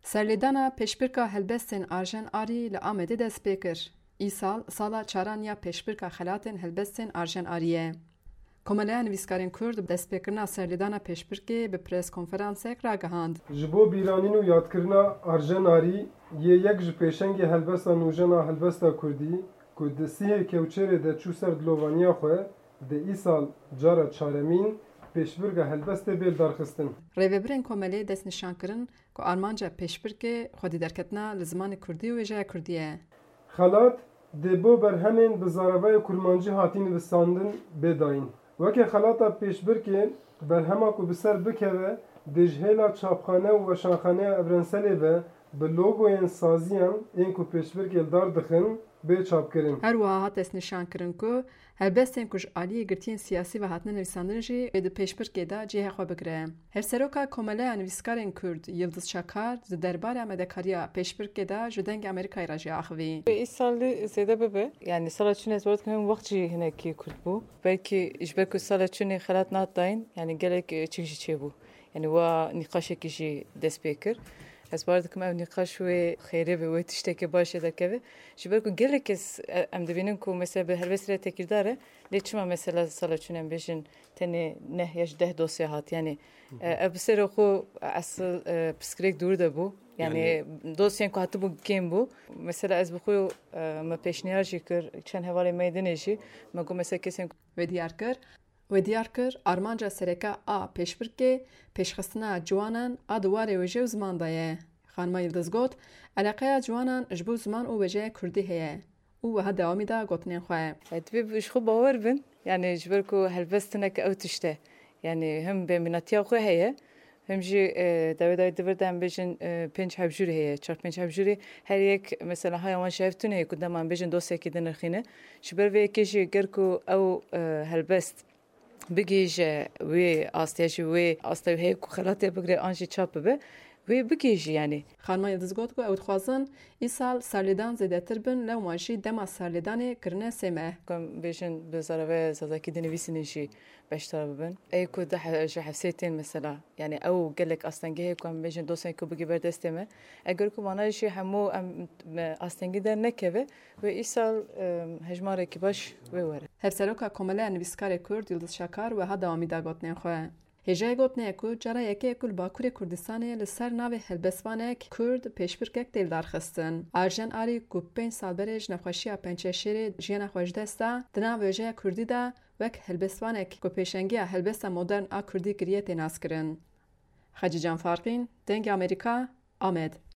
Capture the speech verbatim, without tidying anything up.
Serlêdana pêşbirka helbestên Arjen Arî li Amedê dest pê kir. Îsal sala çaran ya pêşbirka xelatên helbestên Arjen Arî ye. Komeleya Nivîskarên Kurd destpêkirina serlêdana pêşbirkê bi preskonferansek ragihand. Ji bo bîranîn û yadkirina Arjen Arî yê yek ji pêşengê helbesta nûjen a helbesta kurdî ku di sîhê Kewçêrê de çû ser dilovaniya xwe, dê îsal cara çaremîn pêşbirka helbestê bê lidarxistin. Rêvebirên komelê destnîşan kirin ku armanca pêşbirkê xwedî derketina li zimanê kurdî û wêjeya kurdî ye. Xelat dê bo berhemên bi zaravayê kurmancî hatî nivîsandin bê dayîn. Weke xelata pêşbirkê, berhema ku bi ser bikeve dê ji hêla çapxane û weşanxaneya Evrenselê ve bi logoyên saziyan ên ku pêşbirkê li dar dixin bê çapkirin. Her wiha hat destnîşankirin ku helbestên ku ji aliyê girtiyên siyasî ve hatine nivîsandin jî ê di pêşbirkê de cihê xwe bigire. Hevseroka Komeleya Nivîskarên Kurd Yildiz Çakar di derbarê amadekariya pêşbirkê de ji Dengê Amerîkayê re jî axivî. Îsalî zêde bibe. Yanî sala çûnê ez bawer dikim hem wext jî hinekî kurt bû. Belkî ji ber ku sala çûnê xelat nat dayîn, yanî gelek çik jî çêbû. Yanî wa nîqaşekî jî dest pê kir. Ez bawer dikim ev nîqaş wê xêrê be, wê tiştekê baş jê derkeve. Ji ber ku gelek kes em dibînin ku mesela bi helbestê re tekîrdar e, lê çima mesela sala çûnê em bêjin tenê neh ya ji deh dosya hat. Yanî ev bi serê xwe esil piskirêk dûr de bû. Yanî dosyên ku hatibû kêm bû. Mesela ez bi xwe me pêşniyar jî kir çend hevalên me yê dinê jî, me got mesela kesên ku. Wê diyar kir. Wê diyar kir, armanca sereke a pêşbirkê pêşxistina ciwanan a di warê wêje û ziman de ye. Xanima Yildiz got, eleqeya ciwanan ji bo ziman û wêjeya kurdî heye û wiha dewamî da gotinên xwe. Divê ji xwe bawer bin, yanî ji ber ku helbest hinek ew tişt e. Yanî him bêmînatiya xwe heye, him jî dawê dawê di vir de em bêjin pênc hevjûrê heye, çar pênc hevjûrê, her yek mesela haya wan ji hev tune ye ku dema em bêjin dosyekî dinirxîne. Ji ber vê yekê jî ger ku ew helbest bigihîje wê astê, ji wê asta wê heye ku xelatê bigire an jî çap bibe, wê bigihîjî yanî. Xanima Yildiz got ku ew dixwazin îsal serlêdan zêdetir bin lewma jî dema serlêdanê kirine sê meh. Ku em bêjin bi zaravayê zazakî dinivîsînin jî beşdar bibin. Ey ku di he- ji hefsê tên mesela, yanî ew gelek astengehê ku em bêjin dosyayên ku bigî ber destê me. Eger ku mana jî hemû em me astengî dernekeve, wê îsal em, hejmarekî baş wê were. Hevseroka Komeleya Nivîskarê Kurd Yildiz Şakar wiha dewamî da gotinên xwe. Hêjayê gotinê ye ku cara yekê ye ku li Bakurê Kurdistanê li ser navê helbestvanek Kurd pêşbirkek tê lidarxistin. Arjen Arî ku pênc sal berê ji nexweşiya pençeşêrê jiyana xwe ji dest da, di nav wêjeya Kurdî de wek helbestvanek ku pêşengiya helbesta modern a Kurdî kiriye tê naskirin. Xecîcan Farqîn, Dengê Amerîka, Amed.